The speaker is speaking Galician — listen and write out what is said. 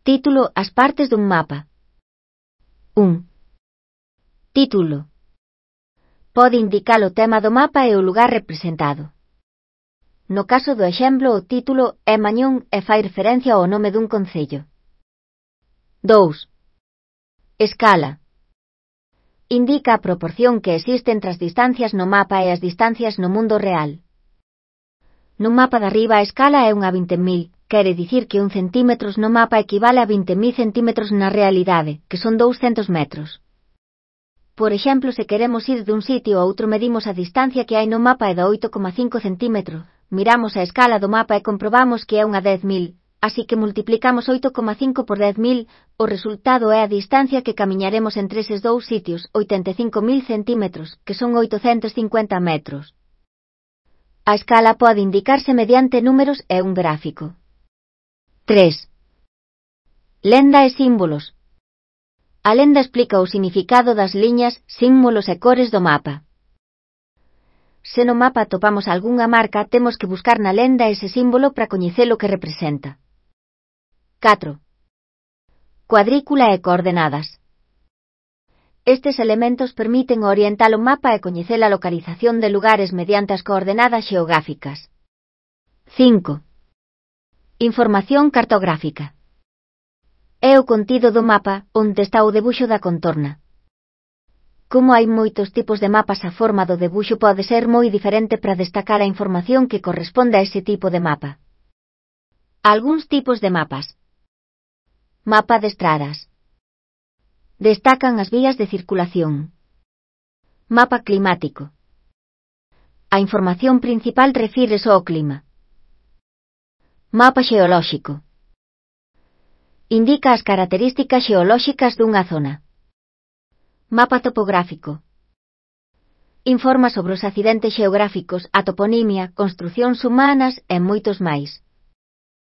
Título: As partes dun mapa. 1. Título. Pode indicar o tema do mapa e o lugar representado. No caso do exemplo, o título é Mañón e fai referencia ao nome dun concello. 2. Escala. Indica a proporción que existe entre as distancias no mapa e as distancias no mundo real. No mapa de arriba a escala é unha 20.000, quere dicir que 1 centímetros no mapa equivale a 20.000 centímetros na realidade, que son 200 metros. Por exemplo, se queremos ir dun sitio a outro medimos a distancia que hai no mapa é de 8,5 centímetros, miramos a escala do mapa e comprobamos que é unha 10.000, así que multiplicamos 8,5 por 10.000, o resultado é a distancia que camiñaremos entre eses dous sitios, 85.000 centímetros, que son 850 metros. A escala pode indicarse mediante números e un gráfico. 3. Lenda e símbolos. A lenda explica o significado das liñas, símbolos e cores do mapa. Se no mapa atopamos algunha marca, temos que buscar na lenda ese símbolo para coñecer o que representa. 4. Cuadrícula e coordenadas. Estes elementos permiten orientar o mapa e coñecer a localización de lugares mediante as coordenadas xeográficas. 5. Información cartográfica. É o contido do mapa onde está o debuxo da contorna. Como hai moitos tipos de mapas, a forma do debuxo pode ser moi diferente para destacar a información que corresponde a ese tipo de mapa. Algúns tipos de mapas. Mapa de estradas. Destacan as vías de circulación. Mapa climático. A información principal refírese ao clima. Mapa xeolóxico. Indica as características xeolóxicas dunha zona. Mapa topográfico. Informa sobre os accidentes xeográficos, a toponimia, construcións humanas e moitos máis.